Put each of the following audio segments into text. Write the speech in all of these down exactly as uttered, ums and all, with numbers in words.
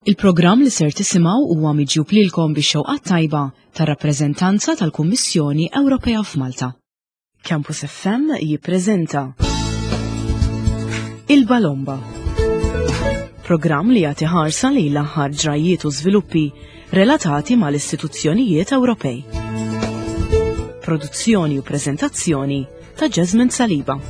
Il-programm li ser tisimgħu huwa miġjub lilkom bix-xewqa tajba tar-rappreżentanza tal-Kummissjoni Ewropea f'Malta. Campus F M jippreżenta Il-Balomba. Programm li jagħti ħarsa lejn l-aħħar ġrajiet u żviluppi relatati mal-istituzzjonijiet Ewropej. Produzzjoni u preżentazzjoni ta' Jasmine Saliba.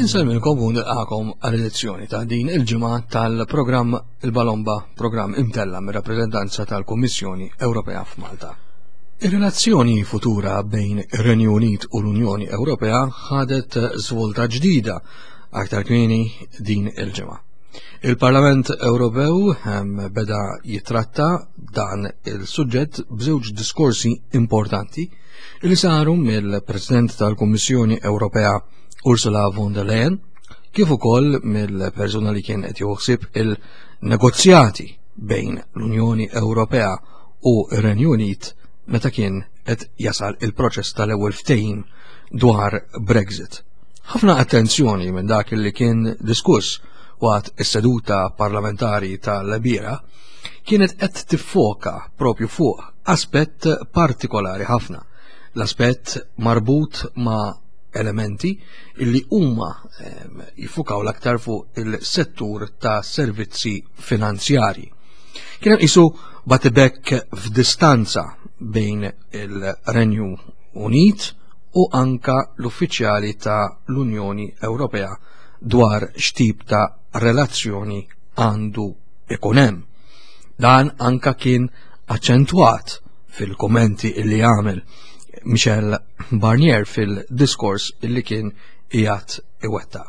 Insellmilkom u nilqakom għal-edizzjoni ta' din il-ġimgħa tal-programm Il-Balomba, programm imtella mir-rappreżentanza tal-Kummissjoni Ewropea f'Malta. Ir-relazzjoni futura bejn ir-Renju Unit u l-Unjoni Ewropea ħadet svolta ġdida aktar kmieni din il-ġimgħa. Il-Parlament Ewropew ehm, beda jitratta dan il-suġġett b'żewġ diskorsi importanti li saru mill-President tal-Kummissjoni Ewropea Ursula von der Leyen kif ukoll mill-persuna li kien qed joħsib il-negozjati bejn l-Unjoni Ewropea u r-Renju Unit meta kien qed jasal il-proċess tal-ewwel ftehim dwar Brexit. Ħafna attenzjoni minn dak li kien diskuss waqt is-seduta parlamentari tal-bira kienet qed tiffoka propju fuq aspett partikolari ħafna, l-aspett marbut ma' elementi illi huma ehm, jiffukaw l-aktar fuq il-settur ta' servizzi finanzjari. Kien hemm isu batibek f'distanza bejn il-Renju Unit u anka l-uffiċjali ta' l-Unjoni Ewropea dwar x'tip ta' relazzjoni għandu ikun hemm. Dan anka kien aċċentwat fil-kommenti illi għamel Michel Barnier fil-diskors illi kien qiegħed iwettaq.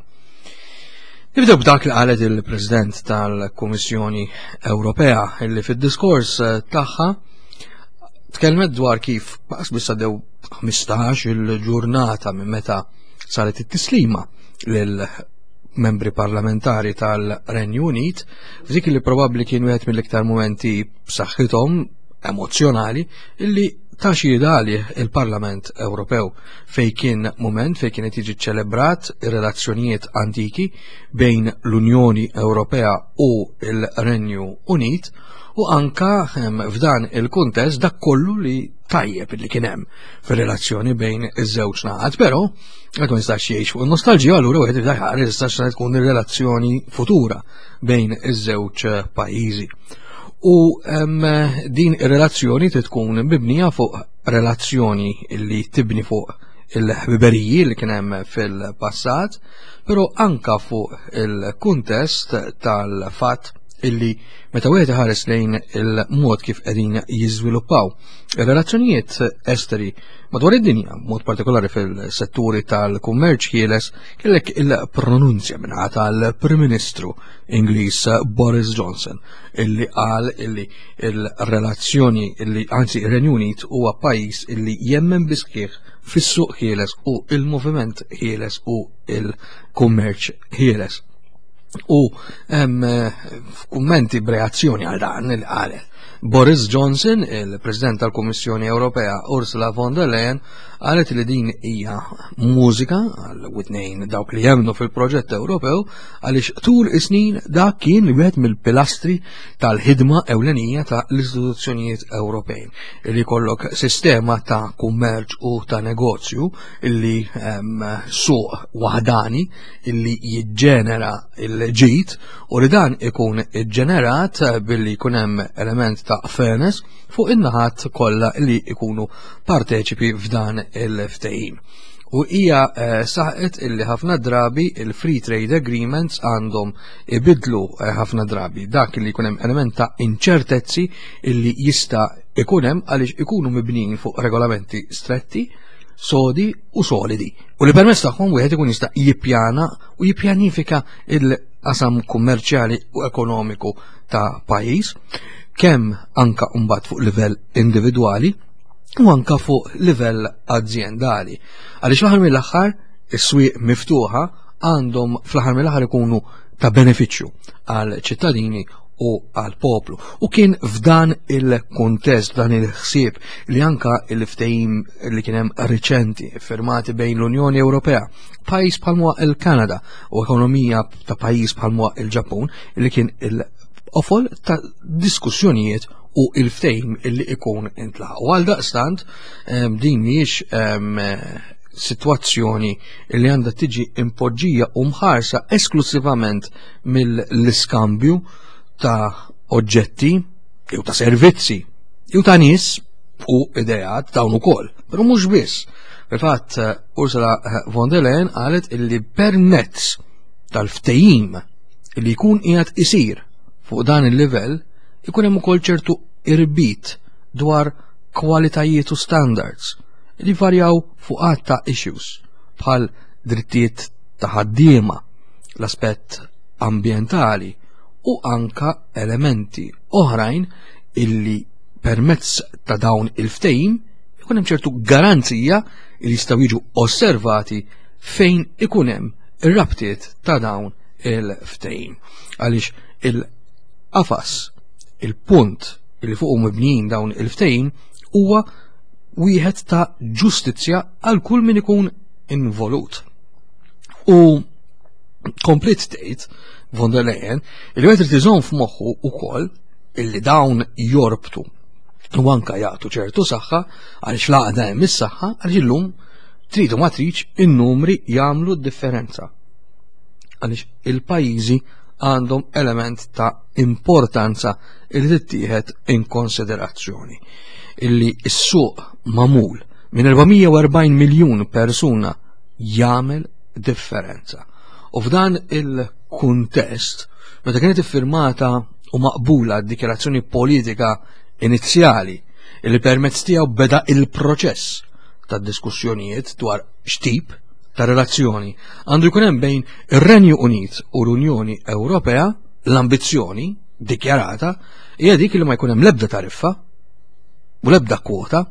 Nibdew b'dak li qalet il-President tal-Kummissjoni Ewropea, illi fid-diskors tagħha tkellmet dwar kif baqas biss għaddew ħmistax il-ġurnata minn meta saret it-tislima lil membri parlamentari tal-Renju Unit, f'dik li probabbli kien wieħed mill-iktar momenti b'saħħithom emozzjonali illi ta' xhieda għalih il-Parlament Ewropew, fej kien moment fej kienet jiġi ċelebrat ir-relazzjonijiet antiki bejn l-Unjoni Ewropea u l-Renju Unit, u anka ehm, f'dan il-kuntest dak kollu li tajjeb li kien hemm fir-relazzjoni bejn iż-żewġ naħat, però għad ma jistax jgħix fuq il-nostalġija, allura wieħed irid jħares jistax tkun ir-relazzjoni futura bejn iż-żewġ pajjiżi. U em, din ir-relazzjoni trid tkun mibnija fuq relazzjoni li tibni fuq il-ħbiberiji li kien hemm fil-passat, però anka fuq il-kuntest tal-fatt illi meta wieħed iħares lejn il-mod kif qegħdin jiżviluppaw ir-relazzjonijiet esteri madwar id-dinja, mod partikolari fil-setturi tal-kummerċ ħieles, kellek il-pronunzja minn tal-Prim Ministru Ingliż Boris Johnson illi qal illi il-relazzjoni illi anzi ir-Renju Unit huwa pajjiż illi jemmen bisħieħ fis-suq ħieles u il-moviment ħieles u il-kummerċ ħieles. U hemm f'kummenti b'reazzjoni għal dan li qalet Boris Johnson, il-President tal-Kummissjoni Ewropea Ursula von der Leyen qalet li din hija mużika għal witnejn dawk li jemmnu fil-proġett Ewropew, għaliex tul is-snin dak kien wieħed mill-pilastri tal-ħidma ewlenija ta' l-istituzzjonijiet Ewropej, li jkollok sistema ta' kummerċ u ta' negozju illi ehm, suq waħdani illi jiġġenera il-ġid u li dan ikun iġġenerat billi jkun hemm element ta' fairness fuq in-naħat kollha li jkunu parteċipi f'dan il-ftehim. U hija eh, saħqet illi ħafna drabi il-free trade agreements għandhom ibidlu eh, ħafna drabi dak li jkun hemm element ta' inċertezzi illi jista' ikun hemm għaliex ikunu mibnijin fuq regolamenti stretti, sodi u solidi, u li permezz tagħhom wieħed ikun jista' jippjana u jippjanifika il-qasam kummerċjali u ekonomiku ta' pajjiż, kemm anka mbagħad fuq livell individwali u anka fuq livell azjendali. Għaliex fl-aħħar mill-aħħar is-swieq miftuħa għandhom fl-aħħar mill-aħħar ikunu ta' benefiċċju għal ċittadini u għal-poplu. U kien f'dan il-kontest, dan il-ħsieb li anka il-ftehim li kien hemm riċenti firmati bejn l-Unjoni Ewropea, pajjiż bħalma il-Kanada u ekonomija ta' pajjiż bħalma il-Ġappun, li kien il-qofol ta' diskussjonijiet u il-ftehim illi ikun intlaħaq. U għal daqstant din mhijiex situazzjoni li għandha tiġi impoġġija u mħarsa esklusivament mill-iskambju ta' oġġetti jew ta' servizzi jew ta' nies u ideat dawn ukoll, però mhux biss. Fil-fatt Ursula von der Leyen qalet illi permezz tal-ftehim li jkun qiegħed isir fuq dan il-livell ikun hemm ukoll ċertu irbit dwar kwalitajiet u standards li varjaw fuq għadd ta' issues bħal drittijiet ta' ħaddiema, l-aspett ambjentali u anka elementi oħrajn illi permezz ta' dawn il-ftehim ikun hemm ċertu garanzija li jistgħu jiġu osservati fejn ikun hemm ir-rabtiet ta' dawn il-ftehim. Għaliex il-qafas, il-punt li fuqu mibnijin dawn il-ftehim huwa wieħed ta' ġustizzja għal kull min ikun involut. U komplet tgħid von der Leyen il wieħed irid iżomm f'moħħu wkoll illi dawn jorbtu u anka jagħtu ċertu saħħa, għaliex l-għaqda hemm is-saħħa, għaliex illum tridu ma tridx in-numri jagħmlu d-differenza. Għaliex il-pajjiżi għandhom element ta' importanza li tittieħed in konsiderazzjoni. Illi s-suq magħmul minn erba' mija u erbgħin miljun persuna jagħmel differenza. U f'dan il-kuntest, meta kienet iffirmata u maqbula d-dikjarazzjoni politika inizjali illi permezz tiegħu beda il-proċess ta' diskussjonijiet dwar x'tip ta' relazzjoni għandu jkun hemm bejn ir-Renju Unit u l-Unjoni Ewropea, l-ambizzjoni dikjarata hija dik li ma jkun hemm l-ebda tariffa u l-ebda kwota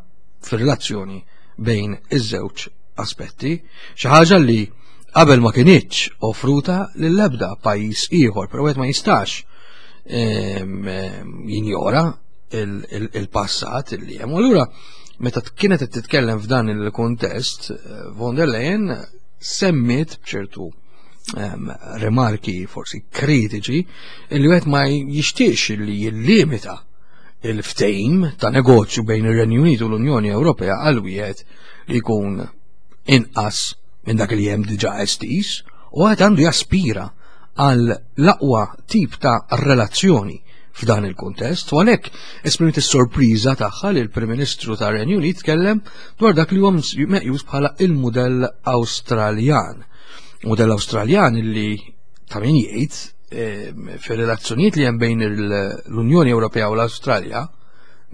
fir-relazzjoni bejn iż-żewġ aspetti, xi ħaġa li qabel ma kinitx offruta lill-ebda pajjiż ieħor, però wieħed ma jistax ehm, ehm, jinjora il-passat li hemm. Allura meta kienet qed titkellem f'dan il-kuntest, von der Leyen semmiet b'ċertu ehm, remarki forsi kritiċi li wieħed ma jixtiex li jillimita il-ftehim ta' negozju bejn ir-Renju Unit u l-Unjoni Ewropea għal wieħed li jkun inqas minn dak li hemm diġà estiż, u għad għandu jaspira għal l-aqwa tip ta' relazzjoni f'dan il-kuntest, u għalhekk esprimiet is-sorpriża tagħha li l-Prim Ministru tar-Renju Unit tkellem dwar dak li huwa meqjus bħala il-mudell Awstraljan. Mudell Awstraljan illi ta' min jgħid eh, fir-relazzjonijiet li hemm bejn l-Unjoni Ewropea u l-Awstralja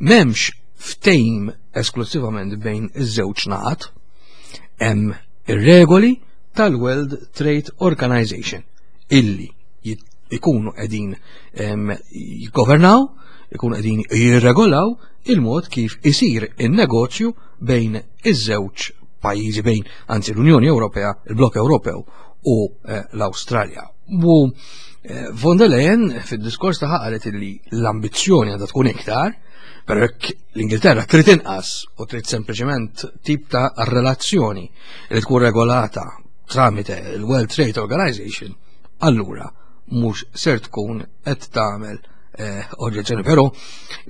m'hemmx ftehim esklusivament bejn iż-żewġ naħat, hemm ir-regoli tal-World Trade Organization illi ikunu qegħdin jiggovernaw, ikunu qegħdin jirregolaw il-mod kif isir in-negozju bejn iż-żewġ pajjiżi, bejn anzi l-Unjoni Ewropea, il-Blok Ewropew u eh, l-Awstralja. U eh, von der Leyen fid-diskors tagħha qalet illi l-ambizzjoni għandha tkun iktar, però jekk l-Ingilterra trid inqas u trid sempliċement tip ta' relazzjoni li tkun regolata tramite il-World Trade Organization, allura mhux ser tkun qed tagħmel eh, oġġezzjoni, però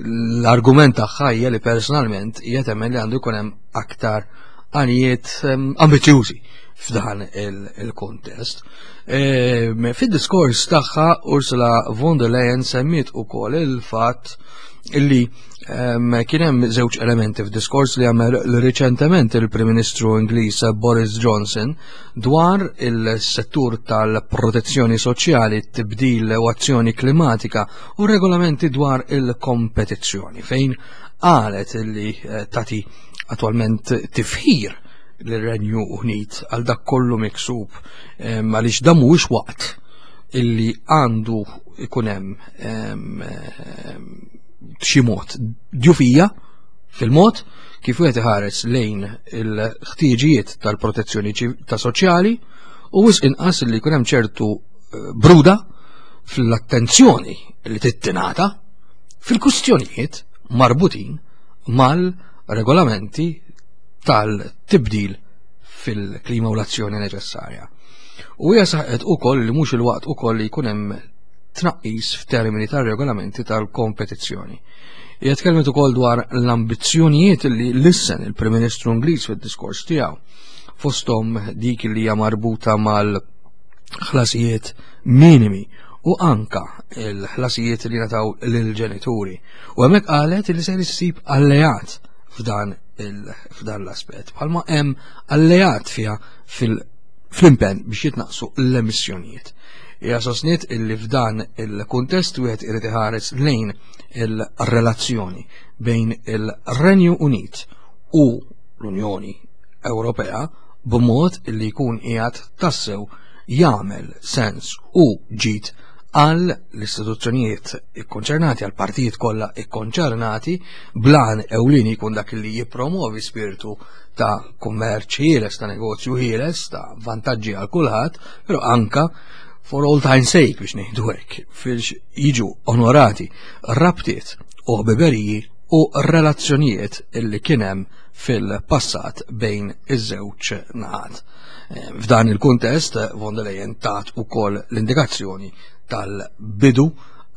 l-argument tagħha hija li personalment hija temmen li għandu jkun hemm aktar għanijiet ehm, ambizzjużi f'dan il-kontest. Ehm, fid-diskors tagħha Ursula von der Leyen semmiet ukoll il-fatt illi ehm, kien hemm żewġ elementi f'diskors li għamel riċentement il-Prim Ministru Ingliż Boris Johnson dwar il-settur tal-protezzjoni soċjali, tibdil u azzjoni klimatika u regolamenti dwar il-kompetizzjoni, fejn qalet illi eh, tati attualment tifħir l-Renju Unit għal dak kollu miksub, ehm, għaliex dan mhuwiex waqt illi għandu ikun hemm ehm, xi mod djufija fil-mod kif wieħed iħares lejn il-ħtiġijiet tal-protezzjoni ta' soċjali u wisq inqas li jkun hemm ċertu eh, bruda fl-attenzjoni li tittinata fil-kustjonijiet marbutin mal-regolamenti tal-tibdil fil-klima u l-azzjoni neċessarja. U hija saħqet ukoll li mhux il-waqt ukoll li jkun hemm tnaqqis f'termini tar-regolamenti tal-kompetizzjoni. Hija tkellmet ukoll dwar l-ambizzjonijiet li lissen il-Prim Ministru Ingliż fid-diskors tiegħu, fosthom dik li hija marbuta mal-ħlasijiet minimi u anka l-ħlasijiet li nataw lill-ġenituri. U hemmhekk qalet li se issib alleat f'dan f'dan l-aspett, bħalma hemm alleat fiha fil-impenn biex jitnaqsu l-emissjonijiet. Hija sostniet illi f'dan il-kuntest wieħed irid iħares lejn il-relazzjoni bejn il-Renju Unit u l-Unjoni Ewropea b'mod illi jkun qiegħed tassew jagħmel sens u ġid għal l-istituzzjonijiet ikkonċernati, għal partijiet kollha ikkonċernati, blan ewlieni jkun dak li jippromovi spiritu ta' kummerċ ħieles, ta' negozju ħieles, ta' vantaġġi għal kulħadd, però anka for all time's sake biex ngħidu hekk, fiex jiġu onorati rabtiet u ħbiberiji u relazzjonijiet illi kien hemm fil-passat bejn iż-żewġ naħat. F'dan il-kuntest, von der Leyen tat ukoll l-indikazzjoni tal-bidu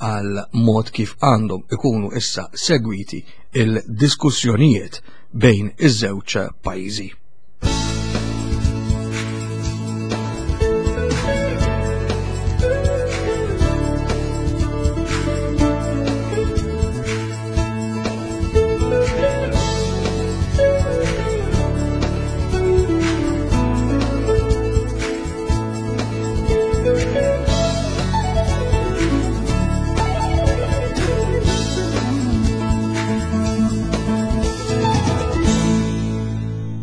għal mod kif għandhom ikunu issa segwiti il-diskussjonijiet bejn iż-żewġ pajjiżi.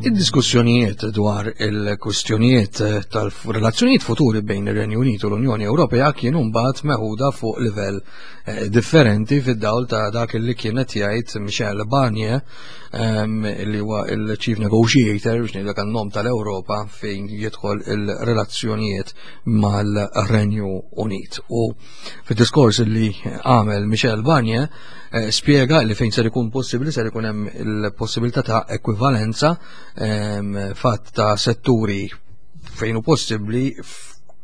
Id-diskussjonijiet dwar il-kwistjonijiet tal-relazzjonijiet futuri bejn ir-Renju Unit u l-Unjoni Ewropea kienu mbagħad meħuda fuq livell differenti fid-dawl ta' dak li kienet jgħid Michel Barnier, li huwa il-Chief Negotiator biex ngħidlek għan-nom tal-Ewropa fejn jidħol il-relazzjonijiet mal-Renju Unit. U fid-diskors li għamel Michel Barnier spjega li fejn ser ikun possibbli ser ikun hemm il-possibilità ta' ekwivalenza fatt ta' setturi fejn hu possibbli,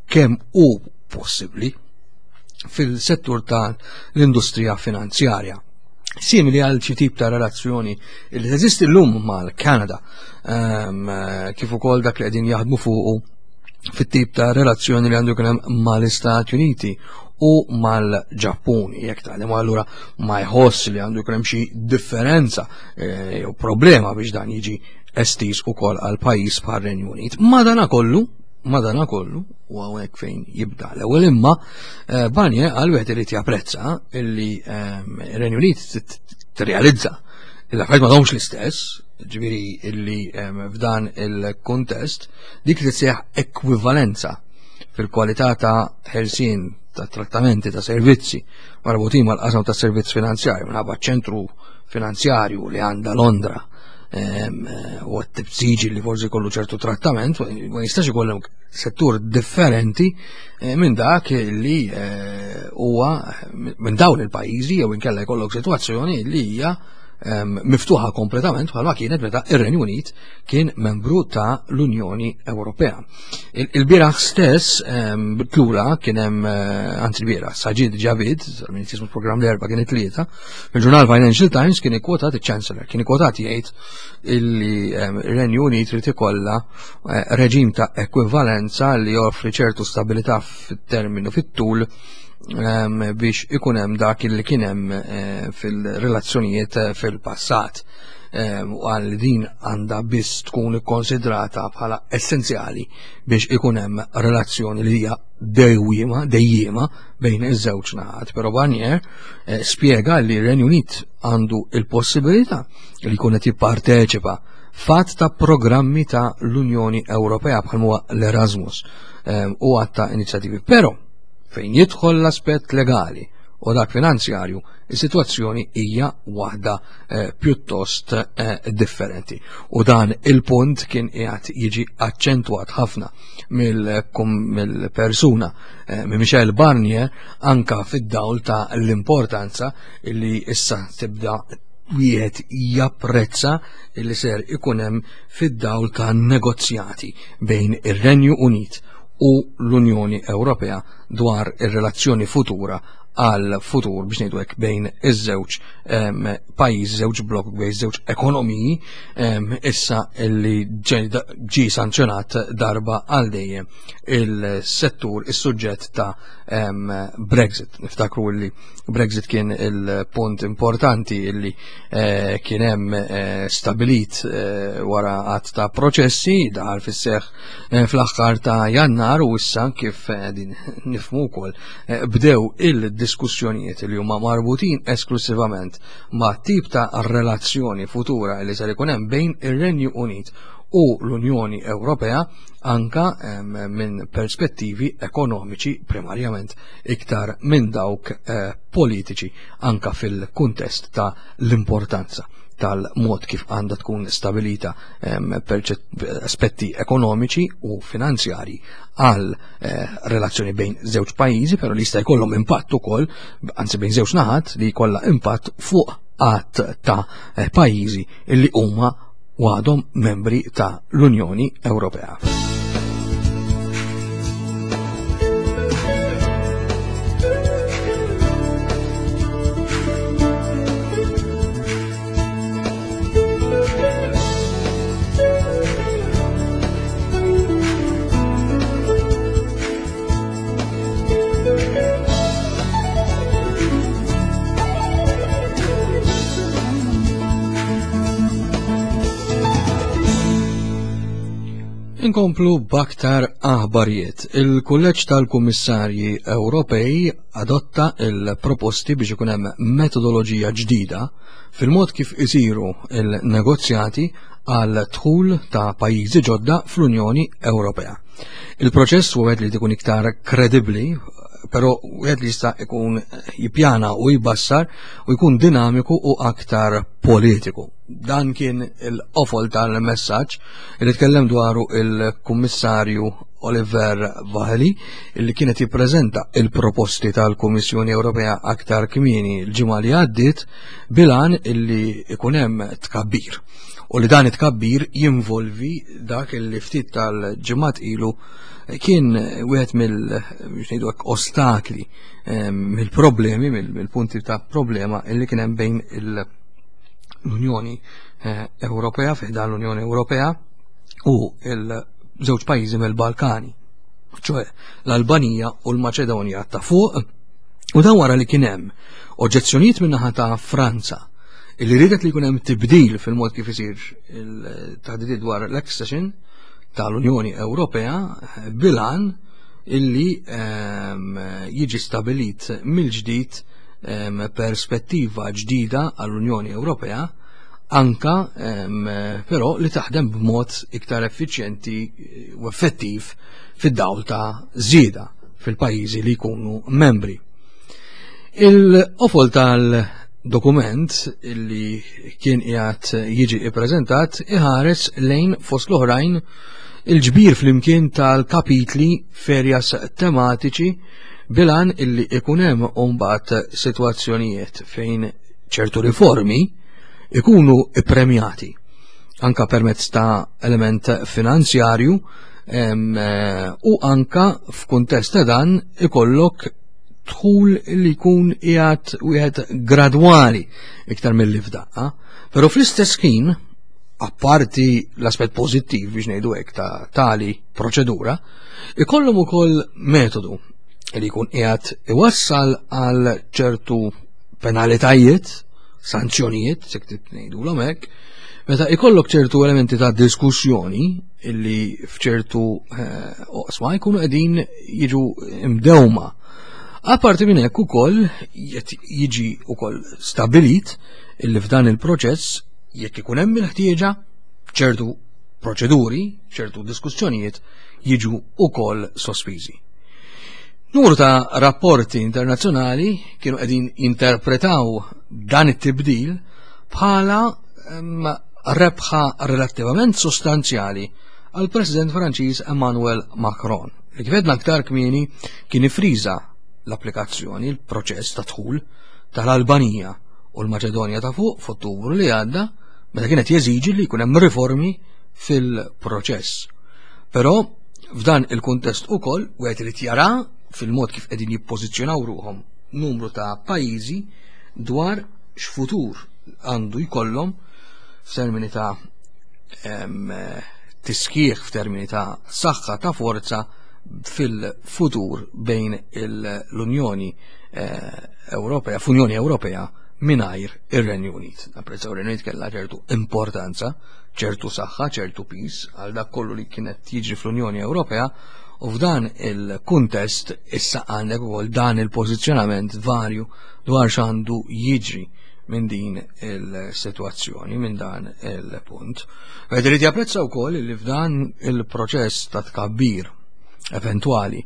kemm hu possibbli fil-settur tal-industrija finanzjarja. Simili għal xi tip ta' relazzjoni li teżisti llum mal-Kanada, kif ukoll dak li qegħdin jaħdmu fuqu fit-tip ta' relazzjoni li għandu jkun hemm mal-Istati Uniti u mal-Ġappun. Jekk tagħlem allura ma jħoss li għandu jkun hemm xi differenza jew problema biex dan jiġi estiż ukoll għal pajjiż bħar-Renju Unit. Madanakollu, madanakollu, u hawnhekk fejn jibda l-ewwel imma, Barnier għal wieħed irid japprezza illi ir-Renju Unit tirrealizza l-affarijiet m'għadhomx l-istess, ġifieri illi f'dan il-kuntest dik li tseħħ ekwivalenza fil-kwalità ta' ħelsien ta' trattamenti ta' servizzi marbutin mal-qasam ta' servizz finanzjarju minħabba ċentru finanzjarju li għandha Londra u għat-tibżiġi li forsi kollu ċertu trattament, ma jistax ikollhom settur differenti minn dak li huwa minn dawn il-pajjiżi, jew inkella jkollok sitwazzjoni li hija miftuħa kompletament bħalma kienet meta ir-Renju Unit kien membru ta' l-Unjoni Ewropea. Il-bieraħ stess tlura kien hemm, anzi l-bieraħ, Sajid Javid, min jismu programm l-erba' kien it-tlieta, fil-ġurnal Financial Times kien ikkwotat iċ-Chancellor, kien ikkwotat jgħid illi ir-Renju Unit trid ikollha reġim ta' ekwivalenza li joffri ċertu stabilità fit-terminu fit-tul biex ikun hemm dak li kien hemm fil-relazzjonijiet fil-passat, u għal din għandha biss tkun ikkonsidrata bħala essenzjali biex ikun hemm relazzjoni li hija dejjiema dejjiema bejn iż-żewġ naħat. Però Barnier spjega li r-Renju Unit għandu il-possibilità li jkun qed jipparteċipa fatt ta' programmi ta' l-Unjoni Ewropea bħal huwa l-Erasmus u għadd ta' inizjattivi. Però fejn jidħol l-aspett legali u dak finanzjarju, is-sitwazzjoni hija waħda eh, pjuttost eh, differenti. U dan il-punt kien qiegħed jiġi aċċentwat ħafna mill-persuna eh, minn Michel Barnier anka fid-dawl ta' l-importanza li issa tibda wieħed japprezza li ser ikun hemm fid-dawl ta' negozjati bejn ir-Renju Unit u l-Unjoni Ewropea dwar ir-relazzjoni futura għal futur biex ngħidu hekk bejn iż-żewġ pajjiż, żewġ blok, bejn iż-żewġ ekonomiji issa li ġie sanzjonat darba għal dejjem il-settur, is-suġġett ta' Brexit. Niftakru li Brexit kien il-punt importanti li eh, kien hemm eh, stabilit eh, wara għadd ta' proċessi daħal fis-seħħ fl-aħħar ta' Jannar u issa kif din nifhmu wkoll bdew il-diskussjonijiet li huma marbutin esklusivament ma' tip ta' relazzjoni futura li ser ikun hemm bejn ir-Renju Unit u l-Unjoni Ewropea anka minn perspettivi ekonomiċi primarjament iktar minn dawk eh, politiċi anka fil-kuntest ta' l-importanza tal-mod kif għandha tkun stabilita aspetti ekonomiċi u finanzjari għal eh, relazzjoni bejn żewġ pajjiżi, però li jista' jkollhom impatt ukoll, anzi bejn żewġ naħat li jkollha impatt fuq għadd ta' eh, pajjiżi li huma u għadhom membri ta' l-Unjoni Ewropea. Inkomplu b'aktar aħbarijiet. Il-Kulleġġ tal-Kummissarji Ewropej adotta il-proposti biex ikun hemm metodoloġija ġdida fil-mod kif isiru il-negozjati għal dħul ta' pajjiżi ġodda fl-Unjoni Ewropea. Il-proċess huwa wieħed li jkun iktar kredibbli, però wieħed li jista' jkun jippjana u jbassar u jkun dinamiku u aktar politiku. Dan kien il-qofol tal-messaġġ li tkellem dwaru il-Kummissarju Oliver Várhelyi li kienet jippreżenta il-proposti tal-Kummissjoni Ewropea aktar kmieni l-ġimgħa li għaddiet bilan illi ikun hemm tkabbir. U li dan it-tkabbir jinvolvi dak illi ftit tal-ġimgħat ilu kien wieħed mill biex ngħidu hekk ostakli, mill-problemi, mill-punti ta' problema illi kien hemm bejn l-Unjoni Ewropea, fi ħdan l-Unjoni Ewropea u l-żewġ pajjiżi mill-Balkani, ċoe l-Albanija u l-Maċedonja ta' fuq, u dan wara li kien hemm oġġezzjonijiet min-naħa ta' Franza illi riedet li jkun hemm tibdil fil-mod kif isir il-taħdidiet dwar l-accession tal-Unjoni Ewropea bilan illi jiġi stabilit mill-ġdid perspettiva ġdida għall-Unjoni Ewropea anka però li taħdem b'mod iktar effiċjenti u effettiv fid-dawl ta' żieda fil-pajjiżi li jkunu membri. Il-qofol tal-dokument illi kien qiegħed jiġi ippreżentat iħares lejn fost l-oħrajn il-ġbir flimkien tal-kapitli ferjas tematiċi bilan illi ikun hemm mbagħad sitwazzjonijiet fejn ċertu riformi ikunu ippremjati anka permezz ta' element finanzjarju u anka f'kuntest ta' dan ikollok dħul li jkun qiegħed wieħed gradwali iktar milli f'daqqa, però fl-istess ħin apparti l-aspett pożittiv biex ngħidu hekk ta' tali proċedura, ikollhom ukoll metodu li jkun qiegħed iwassal għal ċertu penalitajiet, sanzjonijiet, se trid ngħidulhom hekk, meta ikollok ċertu elementi ta' diskussjoni illi f'ċertu oqsma jkunu qegħdin jiġu imdewma. Apparti minn hekk ukoll jiġi ukoll stabilit illi f'dan il-proċess jekk ikun hemm il-ħtieġa ċertu proċeduri, ċertu diskussjonijiet jiġu ukoll sospiżi. Numru ta' rapporti internazzjonali kienu qegħdin jinterpretaw dan it-tibdil bħala rebħa relattivament sostanzjali għal President Franċiż Emmanuel Macron, li kif għedna aktar kmieni kien ifriża l-applikazzjoni, il-proċess ta' dħul tal-Albanija u l-Maċedonja ta' fuq f'Ottubru li għadda, meta kienet jeżiġi li jkun hemm riformi fil-proċess. Però f'dan il-kuntest ukoll wieħed irid jara fil-mod kif qegħdin jippożizzjonaw ruħhom numru ta' pajjiżi dwar x'futur għandu jkollhom f'termini ta' tisħiħ, f'termini ta' saħħa ta' forza fil-futur bejn l-Unjoni Ewropea, f'Unjoni Ewropea mingħajr ir-Renju Unit. Napprezzaw ir-Renju Unit kellha ċertu importanza, ċertu saħħa, ċertu piż għal dak kollu li kienet jiġri fl-Unjoni Ewropea, u f'dan il-kuntest issa għandek ukoll dan il-pożizzjonament varju dwar x'għandu jiġri minn din il-sitwazzjoni, minn dan il-punt. Wieħed irid japprezza wkoll li f'dan il-proċess ta' tkabbir eventwali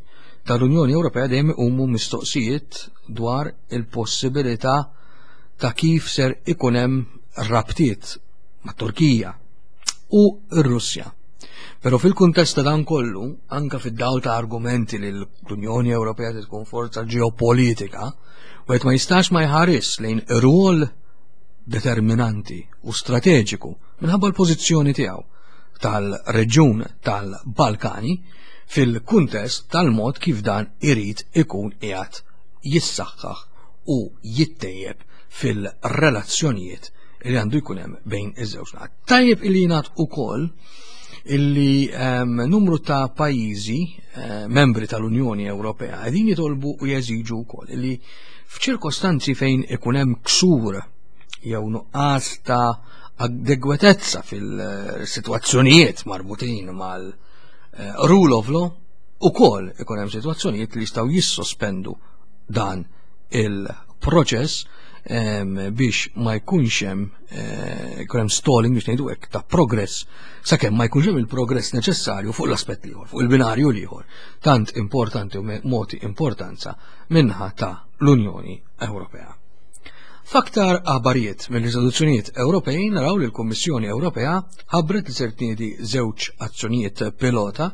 tal-Unjoni Ewropea dejjem iqumu mistoqsijiet dwar il-possibilità ta' kif ser ikun hemm rabtiet mat-Turkija u r-Russja. Però fil-kuntest ta' dan kollu, anka fid-dawl ta' argumenti li l-Unjoni Ewropea tkun forza ġeopolitika, wieħed ma jistax ma jħares lejn rwol determinanti u strateġiku minħabba l-pożizzjoni tiegħu tal-reġjun tal-Balkani fil-kuntest tal-mod kif dan irid ikun qiegħed jissaħħaħ u jittejjeb fil-relazzjonijiet li għandu jkun hemm bejn iż-żewġ naħat. Tajjeb illi jingħad ukoll illi um, numru ta' pajjiżi uh, membri tal-Unjoni Ewropea qegħdin jitolbu u jeżiġu wkoll illi f'ċirkostanzi fejn ikun hemm ksur jew nuqqas ta' adegwatezza fil-sitwazzjonijiet marbutin mal-rule of law, ukoll ikun hemm sitwazzjonijiet li jistgħu jissospendu dan il-proċess biex ma jkunx hemm ikun hemm stalling, biex ngħidu hekk, ta' progress sakemm ma jkunx hemm il-progress neċessarju fuq l-aspett l-ieħor, fuq il-binarju l-ieħor, tant importanti u moti importanza minnaħa ta' l-Unjoni Ewropea. F'aktar aħbarijiet mill-istituzzjonijiet Ewropej naraw li l-Kummissjoni Ewropea ħabbret li ser tniedi żewġ azzjonijiet pilota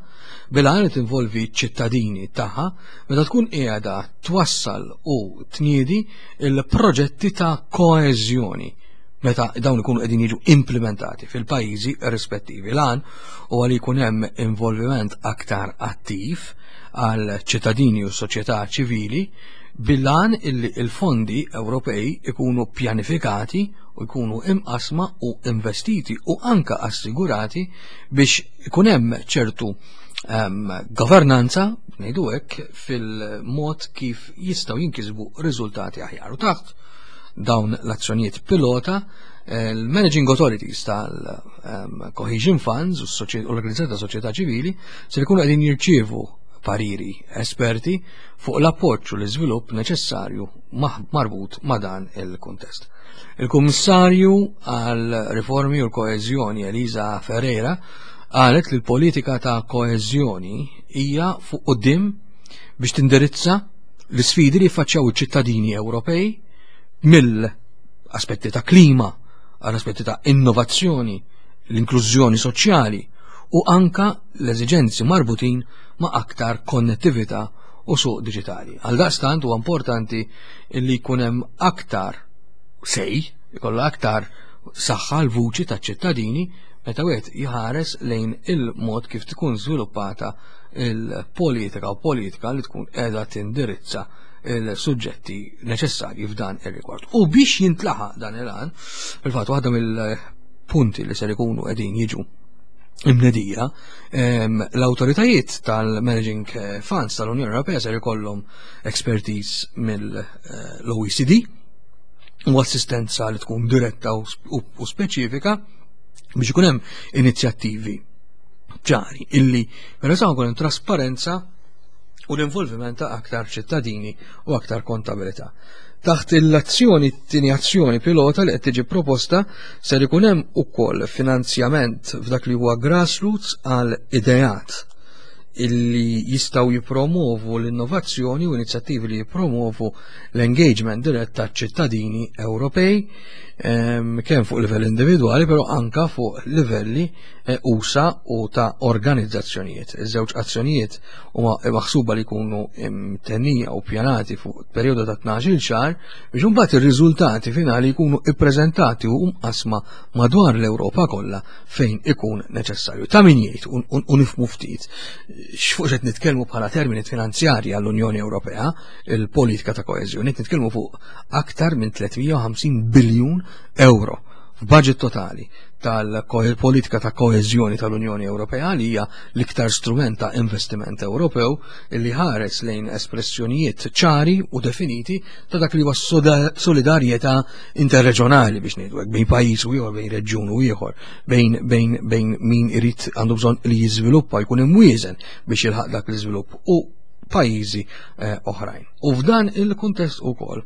bil-għan li tinvolvi ċittadini tagħha meta tkun qiegħda twassal u tniedi il-proġetti ta' koeżjoni meta dawn ikunu qegħdin jiġu implementati fil-pajjiżi rispettivi. L-għan huwa li jkun hemm involviment aktar attiv għal ċittadini u soċjetà ċivili bil-għan illi il-fondi Ewropej ikunu pjanifikati u jkunu imqasma u investiti u anka assigurati biex ikun hemm ċertu um, governanza, ngħidu hekk, fil-mod kif jistgħu jinkisbu riżultati aħjar. U taħt dawn l-azzjonijiet pilota, il-Managing Authorities tal-Cohesion Funds u l-Organizzazzjoni ta' Soċjetà Ċivili se jkunu qegħdin jirċievu pariri esperti fuq l-appoġġ u l-iżvilupp neċessarju marbut ma' dan il-kuntest. Il-Kummissarju għal Riformi u l-Koeżjoni Elisa Ferreira qalet li l-politika ta' koeżjoni hija fuq quddiem biex tindirizza l-isfidi li jiffaċċjaw iċ-ċittadini Ewropej mill-aspetti ta' klima għal aspetti ta' innovazzjoni, l-inklużjoni soċjali u anka l-eżiġenzi marbutin ma' aktar konnettività u suq diġitali. Għal daqstant huwa importanti li jkun hemm aktar sej, jkollha aktar saħħa l-vuċi taċ-ċittadini meta wieħed jħares lejn il-mod kif tkun żviluppata il-politika u politika li tkun qiegħda tindirizza il-suġġetti neċessarji f'dan ir-rigward. U biex jintlaħaq dan il-għan, fil-fatt waħda mill-punti li ser ikunu qegħdin jiġu imnedija, l-autoritajiet tal-Managing Funds tal-Unjoni Ewropea ser ikollhom expertise mill-O E C D u assistenza li tkun diretta u speċifika biex ikun hemm inizjattivi ċari illi peress jkun hemm trasparenza u l-involviment ta' aktar ċittadini u aktar kontabilità. Taħt l-azzjoni, t-tieni azzjoni pilota li qed tiġi proposta ser ikun hemm ukoll finanzjament f'dak li huwa grassroots għal ideat illi jistgħu jippromovu l-innovazzjoni u inizjattivi li jippromovu l-engagement dirett taċ-ċittadini Ewropej kemm fuq livell individwali però anka fuq livelli usa u ta' organizzazzjonijiet. Iż-żewġ azzjonijiet huma maħsuba li jkunu imtennija u pjanati fuq perjodu ta' tnax-il xahar biex imbagħad ir-riżultati finali jkunu ippreżentati u mqasma madwar l-Ewropa kollha fejn ikun neċessarju. Ta' min jgħid u nifhmu ftit x'fuq qed nitkellmu bħala termini finanzjarji għall-Unjoni Ewropea, il-politika ta' koeżjoni, qed nitkellmu fuq aktar minn tliet mija u ħamsin biljun euro f'budget totali tal-politika ta' koeżjoni tal-Unjoni Ewropea li hija l-iktar strument ta' investiment Ewropew li ħares lejn espressjonijiet ċari u definiti ta' dak li huwa solidarjetà interreġjonali biex ngħidu hekk bejn pajjiż u ieħor, bejn reġjun u ieħor, bejn, bejn, bejn min irid għandu bżonn li jiżviluppa jkun imwieżen biex jilħaq dak l-iżvilupp u pajjiżi, eh, oħrajn. U f'dan il-kuntest ukoll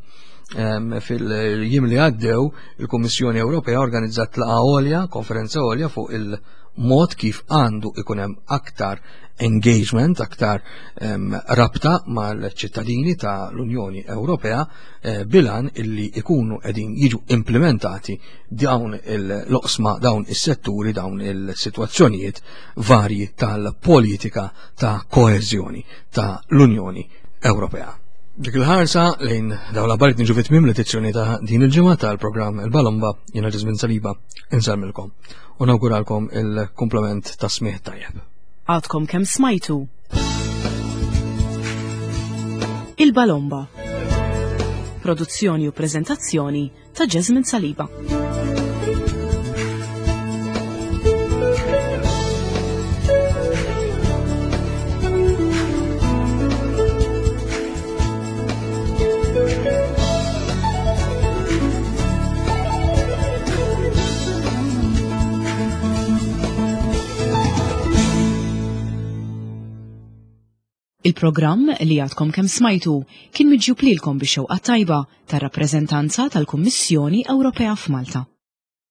fil-jiem li għaddew il-Kummissjoni Ewropea organizzat laqgħa għolja, konferenza għolja fuq il-mod kif għandu ikun hemm aktar engagement, aktar, em, rabta mal-ċittadini tal-Unjoni Ewropea, eh, bilan illi ikunu qegħdin jiġu implementati dawn il-loqsma, dawn is-setturi, dawn il-sitwazzjonijiet varji tal-politika ta' koeżjoni tal-Unjoni Ewropea. Dik il-ħarsa lejn dawn l-aħbarijiet niġu fi tmiem l-edizzjoni ta' din il-ġimgħa tal-programm Il-Balomba, jiena Ġismin Saliba, insellmilkom u nawguralkom il-kumplament ta' smigħ tajjeb. Għadkom kemm smajtu Il-Balomba. Produzzjoni u preżentazzjoni ta' Jasmine Saliba. Il-programm li għadkom kemm smajtu kien miġjub lilkom bix-xewqa tajba tar-rappreżentanza tal-Kummissjoni Ewropea f'Malta.